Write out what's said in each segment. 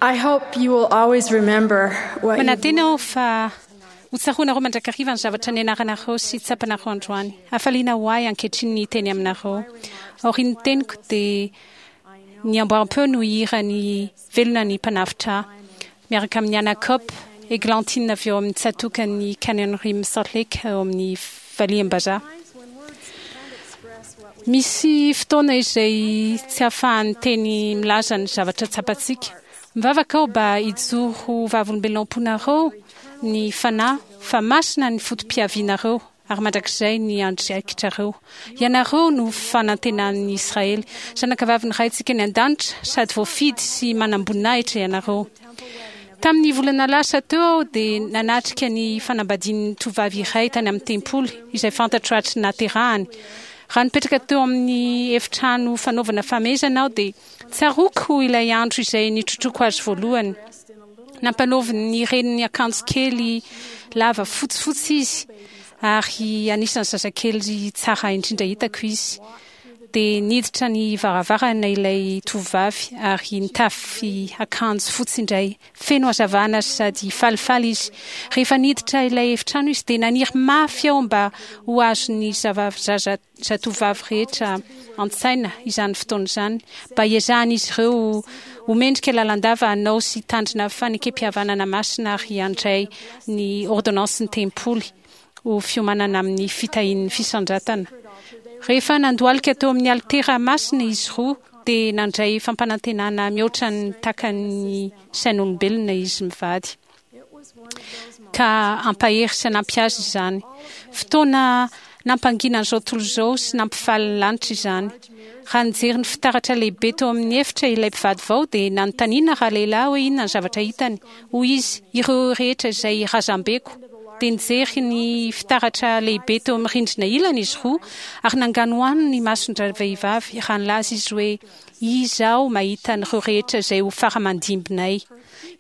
I hope you will always remember what you've Manantena aho fa ho tsaroanareo mandrakariva ny zavatra nianaranareo sy tsapanareo androany. Hafaliana ho ahy ankehitriny ny hiteny aminareo. Aorian'ny teniko dia ny amboaram-peo no hihira ny Velona ny Mpanavotra ahy, miaraka amin'i Anna Kopp, Eglantine avy eo amin'ny tsatòkan'i Canyon Rim Salt Lake ao amin'ny Valiam-bazaha. Misy fotoana izay tsy ahafahan'ny teny milaza ny zavatra tsapantsika. Mivavaka aho mba hijoro ho vavolombelona ao am-ponareo ny Fanahy fa masina ny foto-piavianareo ary mandrakizay ny andraikitrareo. Ianareo no fanantenan'ny Israely, zanakavavin'ny Raintsika any An-danitra, sady voafidy sy manam-boninahitra ianareo. Tamin'ny volana lasa teo aho dia nanatrika ny fanambadian'ny tovovavy iray tany amin'ny tempoly, izay fantatro hatry ny nahaterahany. Raha nipetraka teo amin'ny efitrano fanaovana famehezana aho dia tsaroako ilay andro izay nitrotroako azy voalohany. Nampanaovin'ny reniny akanjo kely lava fotsifotsy izy, ary anisan'ny zazakely tsara indrindra hitako izy. Dia niditra ny varavarana ilay tovovavy ary nitafy akanjo fotsy indray. Feno hazavana sady falifaly izy. Rehefa niditra ilay efitrano izy dia naniry mafy aho mba ho azon'ny zaza zatovovavy rehetra an-tsaina izany fotoana izany, mba hiezahan'izy ireo ho mendrika lalandava hanao sy hitandrina fanekempihavanana masina ary handray ny ôrdônansin'ny tempoly. ho fiomanana amin'ny fitahian'ny fisandratana. Rehefa nandohalika teo amin'ny alitera masina izy roa, dia nandray fampanantenana mihoatra ny takan'ny sain'olombelona izy mivady, ka hampahery sy hanampy azy izany. Fotoana nampangina an'izao tontolo izao sy nampifaly ny lanitra izany. Raha nijery ny fitaratra lehibe teo amin'ny efitra ilay mpivady vao, dia nanontaniana ralehilahy hoe inona ny zavatra hitany. Hoy izy, Ireo rehetra izay razambeko. Dia nijery ny fitaratra lehibe teo amin'ny rindrina ilany izy roa, ary nanganohano ny mason-dravehivavy raha nilaza izy hoe, Izaho mahita an'ireo rehetra izay ho fara-aman-dimbinay.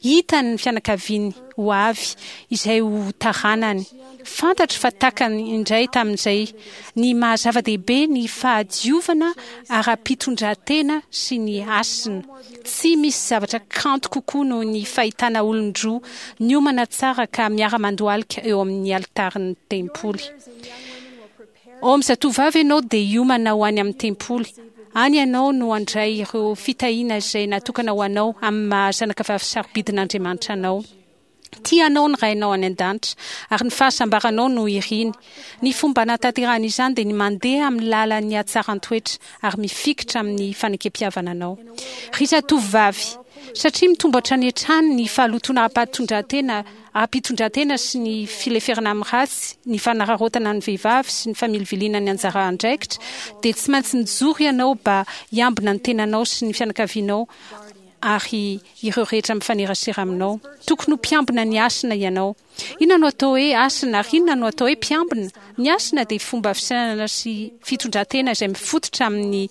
Hitany ny fianakaviany ho avy, izay ho taranany. Fantatro fa takany indray tamin'izay ny maha zava-dehibe ny fahadiovana ara-pitondran-tena sy ny hasina. Tsy misy zavatra kanto kokoa noho ny fahitana olon-droa niomana tsara ka miara-mandohalika eo amin'ny alitarin'ny tempoly. Ao amin'ny zatovovavy ianao dia hiomana ho any amin'ny tempoly. Any ianao no handray ireo fitahiana izay natokana ho anao amin'ny maha zanakavavy sarobidin'Andriamanitra anao. Tia anao ny Rainao any An-danitra, ary ny fahasambaranao no iriny. Ny fomba anatanterahana izany dia ny mandeha amin'ny lalan'ny hatsaran-toetra ary mifikitra amin'ny fanekempihavananao. Ry zatovovavy, satria mitombo hatrany hatrany ny fahalotoana ara-pahatondran-tena, ara-pitondran-tena sy ny fileferana amin'ny ratsy, ny fanararaotana ny vehivavy sy ny familiviliana ny anjara andraikitra, dia tsy maintsy mijoro ianao mba hiambina ny tenanao sy ny fianakavianao ary ireo rehetra mifanerasera aminao. Tokony ho mpiambina ny hasina ianao. Inona no atao hoe hasina ary inona no atao hoe mpiambina? Ny hasina dia fomba fisainana sy fitondran-tena izay mifototra amin'ny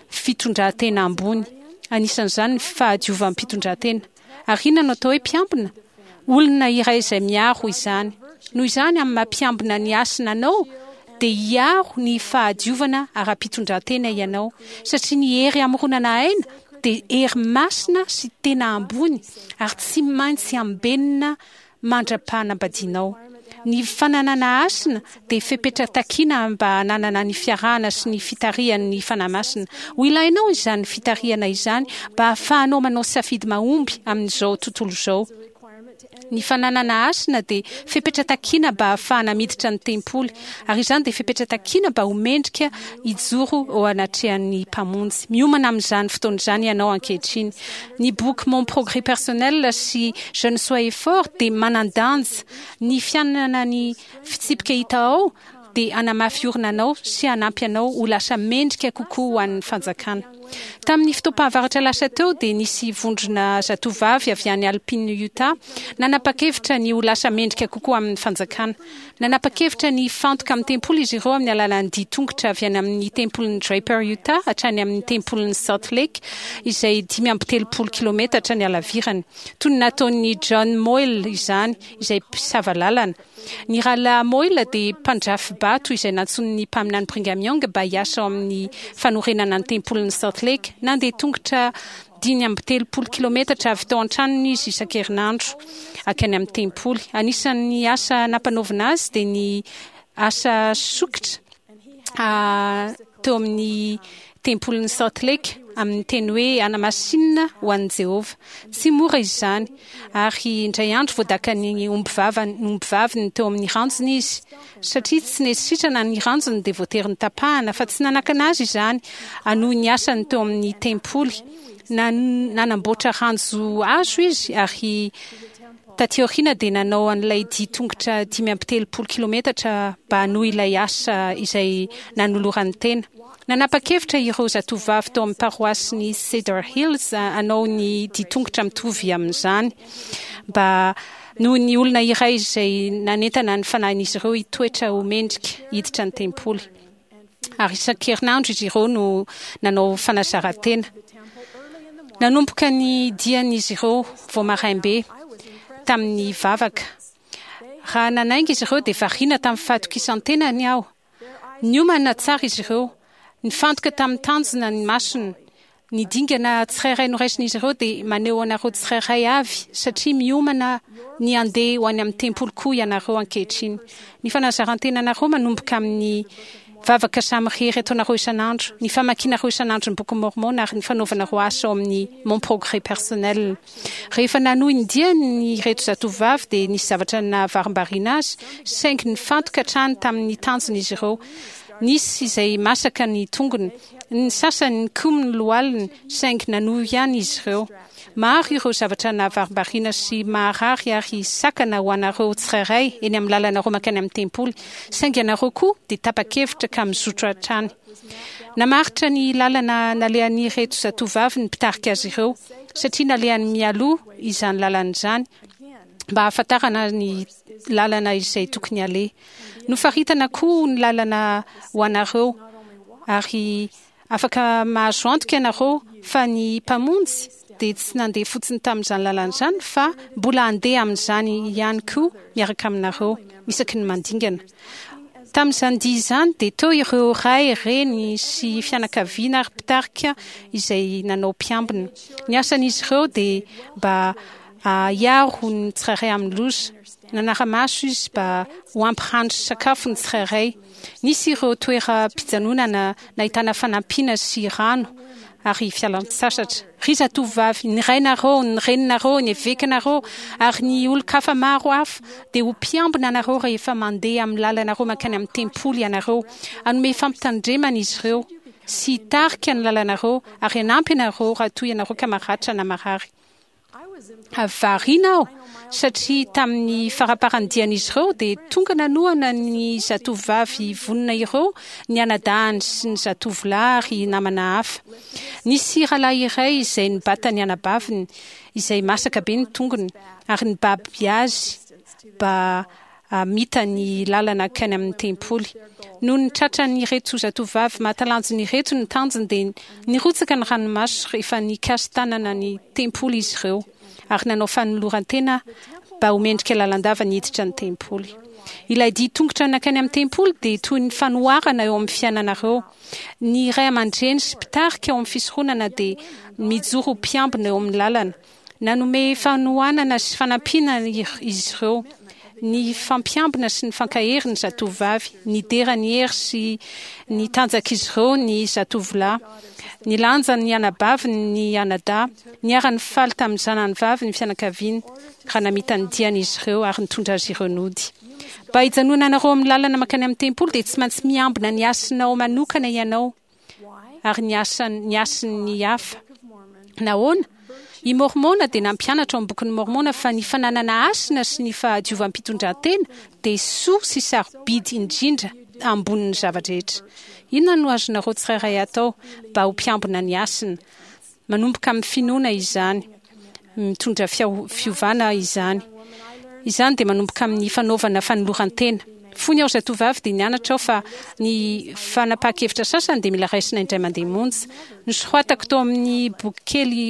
fitondran-tena ambony, anisan'izany ny fahadiovam-pitondran-tena. Ary inona no atao hoe mpiambina? Olona iray izay miaro izany. Noho izany, amin'ny maha mpiambina ny hasina anao, dia hiaro ny fahadiovana ara-pitondran-tena ianao, satria ny hery hamoronana aina dia hery masina sy tena ambony ary tsy maintsy ambenina mandra-panambadianao. Ny fananana hasina dia fepetra takina mba hananana ny fiarahana sy ny fitarihan'ny Fanahy Masina. Ho ilainao izany fitarihana izany mba hahafahanao manao safidy mahomby amin'izao tontolo izao. Ny fananana hasina dia fepetra takina mba hahafahana miditra ny tempoly, ary izany dia fepetra takina mba ho mendrika hijoro eo anatrehan'ny Mpamonjy. Miomana amin'izany fotoana izany ianao ankehitriny. Ny boky Mon progrès personnel sy Jeune soyez fort dia manan-danja. Ny fiainana ny fitsipika hita ao dia hanamafy orina anao sy hanampy anao ho lasa mendrika kokoa ho an'ny fanjakana. Tamin'ny fotoam-pahavaratra lasa teo dia nisy vondrona zatovovavy avy any Alpine, Utah, nanapa-kevitra ny ho lasa mendrika kokoa amin'ny fanjakana. Nanapa-kevitra ny hifantoka amin'ny tempoly izy ireo amin'ny alalan'ny dia tongotra avy any amin'ny tempolin'i Draper, Utah hatrany amin'ny tempolin'i Salt Lake, izay 35 kilometatra ny halavirany. Toy ny nataon'i John Moyle izany, izay mpisava lalana. Ny Rahalahy Moyle dia mpandrafi-bary. mpandrafi-bato izay nantsoin'ny Mpaminany Brigham Young mba hiasa ao amin'ny fanorenana ny Tempolin'i Salt Lake. Nandeha tongotra 35 kilometatra avy tao an-tranony izy isan-kerinandro hankany amin'ny tempoly. Anisan'ny asa nampanaovina azy dia ny asa sokitra teo amin'ny tempolin'i Salt Lake amin'ny teny hoe Anamasinina ho an'i Jehovah. Tsy mora izany, ary indray andro voadakan'ny ombivaviny teo amin'ny ranjony izy. Satria tsy nety sitrana ny ranjony dia voatery notapahana, fa tsy nanakana azy izany hanohy ny asany teo amin'ny tempoly. Nanamboatra ranjo hazo izy ary Taty aoriana dia nanao an'ilay dia tongotra 35 kilometatra mba hanohy ilay asa izay nanolorany tena. Nanapa-kevitra ireo zatovovavy tao amin'ny paroasin'i Cedar Hills hanao ny dia tongotra mitovy amin'izany mba noho ny olona iray izay nanentana ny fanahin'izy ireo hitoetra ho mendrika hiditra ny tempoly. Ary isan-kerinandro izy ireo no nanao fanazaran-tena. Nanomboka ny dian'izy ireo vao maraim-be tamin'ny vavaka. Raha nanainga izy ireo dia variana tamin'ny fahatokisan-tenany aho. Niomana tsara izy ireo. Nifantoka tamin'ny tanjona ny masony. Ny dingana tsirairay noraisin'izy ireo dia maneho anareo tsirairay avy satria miomana ny handeha ho any amin'ny tempoly koa ianareo ankehitriny. Ny fanazaran-tenanareo manomboka amin'ny vavaka samirery ataonareo isan'andro, ny famakianareo isan'andro ny Bokin'i Môrmôna ary ny fanaovanareo asa ao amin'ny Mon Progrès Personnel. Rehefa nanohy ny diany ireto zatovovavy dia nisy zavatra nahavarimbariana azy saingy nifantoka hatrany tamin'ny tanjony izy ireo. Nisy izay masaka ny tongony, ny sasany nikomy ny lohaliny saingy nanohy ihany izy ireo. Maro ireo zavatra nahavarimbariana sy maharary ary sakana ho anareo tsirairay eny amin'ny lalanareo mankany amin'ny tempoly, saingy ianareo koa dia tapa-kevitra ka mizotro hatrany. Namaritra ny lalana nalehan'ireto zatovovavy ny mpitarika azy ireo, satria nalehany mialoha izany lalana izany mba hahafantarana ny lalana izay tokony haleha. Nofaritana koa ny lalana ho anareo, ary afaka mahazo antoka ianareo fa ny Mpamonjy dia tsy nandeha fotsiny tamin'izany lalana izany fa mbola handeha amin'izany ihany koa miaraka aminareo isaky ny mandingana. Tamin'izany dia izany dia teo ireo ray, reny sy fianakaviana ary mpitarika izay nanao mpiambina. Ny asan'izy ireo dia mba hiaro ny tsirairay amin'ny loza. Nanara-maso izy mba ho ampy rano sy sakafo ny tsirairay. Nisy ireo toeram-pijanonana nahitana fanampiana sy rano ary fialan-tsasatra. Ry zatovovavy, ny rainareo, ny reninareo, ny evekanareo ary ny olon-kafa maro hafa dia ho mpiambina anareo rehefa mandeha amin'ny lalanareo mankany amin'ny tempoly ianareo. Hanome fampitandremana izy ireo sy hitarika ny lalanareo ary hanampy anareo raha toa ianareo ka maratra na marary. Variana aho satria tamin'ny faramparan'ny dian'izy ireo dia tonga nanohana ny zatovovavy vonona ireo ny anadahiny sy ny zatovolahy ary namana hafa. Nisy rahalahy iray izay nibata ny anabaviny izay masaka be ny tongony ary nibaby azy mba hamita ny lalana hankany amin'ny tempoly. Nony tratran'ireto zatovovavy mahatalanjona ireto ny tanjony dia nirotsaka ny ranomaso rehefa nikasi-tanana ny tempoly izy ireo ary nanao fanoloran-tena mba ho mendrika lalandava ny hiditra ny tempoly. Ilay dia tongotra nankany amin'ny tempoly dia toy ny fanoharana eo amin'ny fiainanareo. Ny ray aman-dreny sy mpitarika ao amin'ny fisoronana dia mijoro ho mpiambina eo amin'ny lalana. Nanome fanohanana sy fanampiana izy ireo, nifampiambina sy nifankahery ny zatovovavy, nidera ny hery sy ny tanjak'izy ireo ny zatovolahy, nilanja ny anabaviny ny anadahy, niara-nifaly tamin'ny zanany vavy ny fianakaviany raha namita ny diany izy ireo ary nitondra azy ireo nody. Mba hijanonanareo amin'ny lalana mankany amin'ny tempoly dia tsy maintsy miambina ny hasinao manokana ianao. ary ny asan' ny hasin' ny hafa. Nahoana? I Môrmôna dia nampianatra ao amin'ny Bokin'i Môrmôna fa ny fananana hasina sy ny fahadiovam-pitondrantena dia soa sy sarobidy indrindra ambonin'ny zava-drehetra. Inona no azonareo tsirairay atao mba ho mpiambina ny hasina? Manomboka amin'ny finoana izany. Mitondra fiovana izany. Izany dia manomboka amin'ny fanaovana fanoloran-tena. Fony aho zatovovavy dia nianatra aho fa ny fanapahan-kevitra sasany dia mila raisina indray mandeha monja. Nosoratako tao amin'ny boky kely.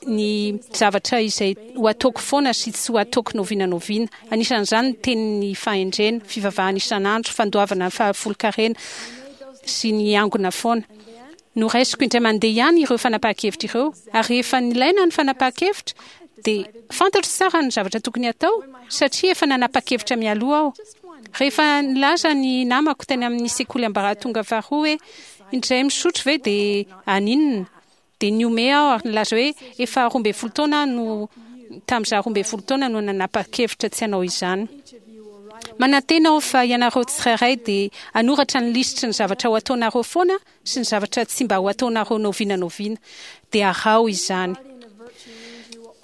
ny zavatra izay ho ataoko foana sy tsy ho ataoko n'oviana n'oviana. Anisan'izany ny tenin'ny fahendrena, fivavahana isan'andro, fandoavana ny fahafolonkarena sy ny angona foana. Noraisiko indray mandeha ihany ireo fanapahan-kevitra ireo, ary rehefa nilaina ny fanapahan-kevitra, dia fantatro tsara ny zavatra tokony hatao, satria efa nanapa-kevitra mialoha aho. Rehefa nilaza ny namako tany amin'ny sekoly ambaratonga faharoa hoe indray misotro ve dia haninona, dia nihomehy aho ary nilaza hoe efa 12 taona aho no tamin'izaho 12 taona no nanapa-kevitra tsy hanao izany. Manantena aho fa ianareo tsirairay dia hanoratra ny lisitry ny zavatra ho ataonareo foana sy ny zavatra tsy mba ho ataonareo n'oviana n'oviana, dia araho izany.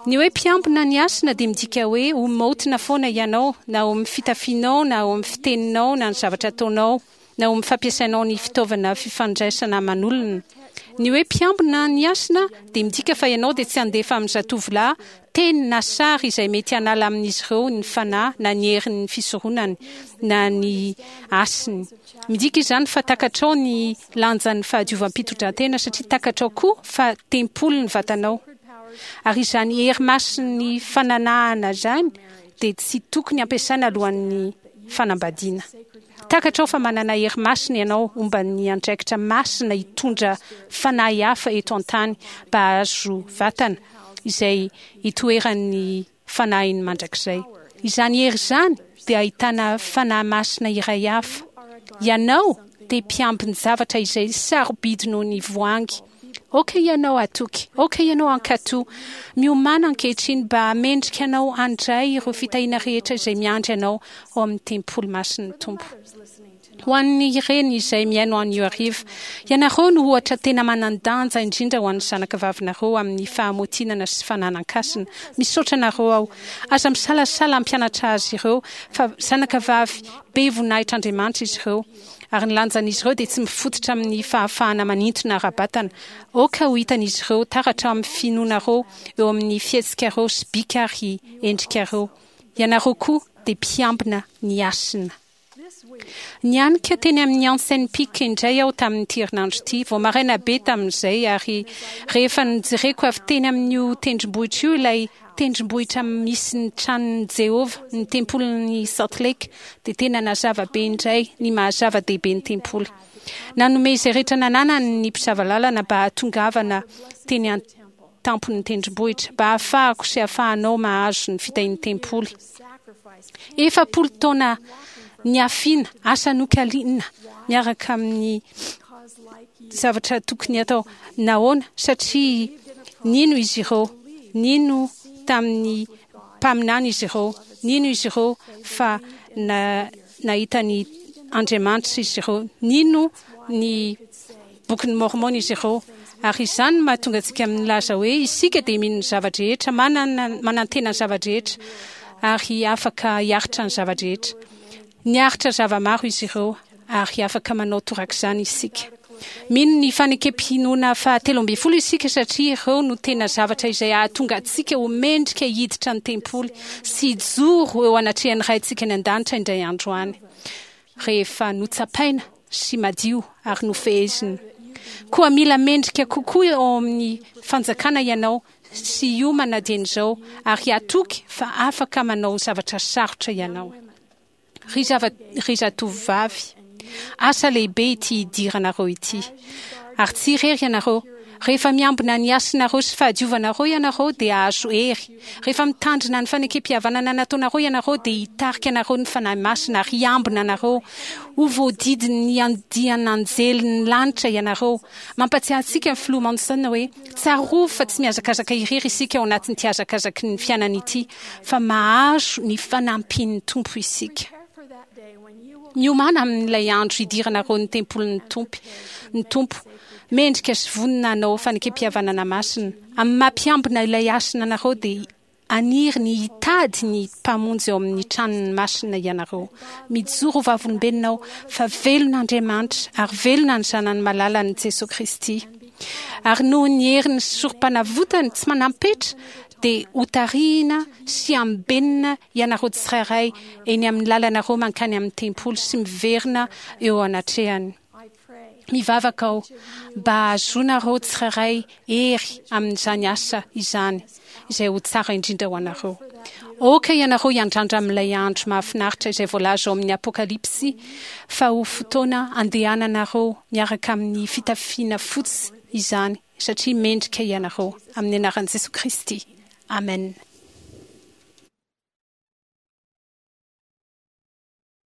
Ny hoe mpiambina ny hasina dia midika hoe ho maotina foana ianao, na ao amin'ny fitafianao, na ao amin'ny fiteninao, na ny zavatra ataonao, na ao amin'ny fampiasainao ny fitaovana fifandraisana aman'olona. Ny hoe mpiambina ny hasina dia midika fa ianao dia tsy handefa amin'ny zatovolahy teny na sary izay mety hanala amin'izy ireo ny fanahy na ny herin'ny fisoronany na ny hasiny. Midika izany fa takatrao ny lanjan'ny fahadiovam-pitondrantena satria takatrao koa fa tempoly ny vatanao. Ary izany hery masin'ny fananahana izany dia tsy tokony ampiasaina alohan'ny fanambadiana. Takatrao fa manana hery masina ianao omban'ny andraikitra masina hitondra fanahy hafa eto an-tany mba hahazo vatana izay itoeran'ny fanahiny mandrakizay. Izany hery izany dia ahitana fanahy masina iray hafa. Ianao dia mpiambin-javatra izay sarobidy noho ny voahangy. Aoka ianao hatoky, aoka ianao hankatò. Miomàna ankehitriny mba hamendrika anao handray ireo fitahiana rehetra izay miandry anao ao amin'ny tempoly masin'ny Tompo. Ho an'ny reny izay mihaino anio hariva, ianareo no ohatra tena manan-danja indrindra ho an'ny zanakavavinareo amin'ny fahamotinana sy fananan-kasina. Misaotra anareo aho. Aza misalasala hampianatra azy ireo fa zanakavavy be voninahitr'Andriamanitra izy ireo, ary ny lanjan'izy ireo dia tsy mifototra amin'ny fahafahana manintona ara-batana. Aoka ho hitan'izy ireo taratra amin'ny finoanareo eo amin'ny fihetsikareo sy bika ary endrikareo. Ianareo koa dia mpiambina ny hasina. Nianika teny amin'ny Janssen Peak indray aho tamin'ity herinandro ity, vao maraina be tamin'izay, ary rehefa nojereko avy teny amin'io tendrombohitra io ilay tendrombohitra misy ny tranon'i Jehovah, ny tempolin'i Salt Lake, dia tena nazava be indray ny maha-zava-dehibe ny tempoly. Nanome izay rehetra nananany ny mpisava lalana mba hahatongavana teny an-tampon'ny tendrombohitra, mba hahafahako sy hahafahanao mahazo ny fitahian'ny tempoly. 40 taona niafiana, asa nokaliana miaraka amin'ny zavatra tokony atao. Nahoana? Satria nino izy ireo, nino tamin'ny mpaminany izy ireo, nino izy ireo fa na, nahita ny Andriamanitra izy ireo, nino ny Bokin'i Môrmôna izy ireo. Ary izany no mahatonga antsika milaza hoe isika dia mino ny zava-drehetra, manana, manantena ny zava-drehetra, ary afaka hiaritra ny zava-drehetra. Niaritra zava-maro izy ireo, ary afaka manao torak'izany isika. Mino ny fanekem-pinoana faha-13 isika satria ireo no tena zavatra izay hahatonga antsika ho mendrika hiditra ny tempoly sy hijoro eo anatrehan'ny Raintsika any An-danitra indray andro any. rehefa notsapaina sy madio ary nofehezina. Koa mila mendrika kokoa ao amin'ny fanjakana ianao sy hiomana dieny izao ary hatoky fa afaka manao zavatra sarotra ianao. Ry zava, ry zatovovavy, asa lehibe ity hidiranareo ity. Ary tsy irery ianareo. Rehefa miambina ny hasinareo sy fahadiovanareo ianareo dia hahazo hery. Rehefa mitandrina ny fanekempihavanana nataonareo ianareo dia hitarika anareo ny Fanahy Masina ary hiambina anareo. Ho voadidin'ny andian'anjelin'ny lanitra ianareo. Mampatsiahy antsika ny Filoha Monson hoe, Tsarovy fa tsy mihazakazaka irery isika ao anatin'ity hazakazaky ny fiainana ity, fa mahazo ny fanampian'ny Tompo isika. Miomàna amin'ilay andro hidiranareo ny tempolin'ny Tompo, ny Tompo. Mendrika sy vonona hanao fanekempihavanana masina. Amin'ny maha mpiambina ilay hasina anareo dia haniry ny hitady ny Mpamonjy ao amin'ny tranony masina ianareo. Mijoro ho vavolombelona aho fa velona Andriamanitra ary velona ny Zanany malalany Jesoa Kristy. Ary noho ny heriny sy sorompanavotany tsy manam-petra dia hotarihina sy hambenina ianareo tsirairay eny amin'ny lalanareo mankany amin'ny tempoly sy miverina eo anatrehany. Mivavaka aho mba hahazoanareo tsirairay hery amin'izany asa izany, izay ho tsara indrindra ho anareo. Aoka ianareo hiandrandra amin'ilay andro mahafinaritra izay voalaza ao amin'ny Apokalypsy fa ho fotoana handehananareo miaraka amin'ny fitafiana fotsy izany, satria mendrika ianareo. Amin'ny anaran'i Jesoa Kristy. Amen.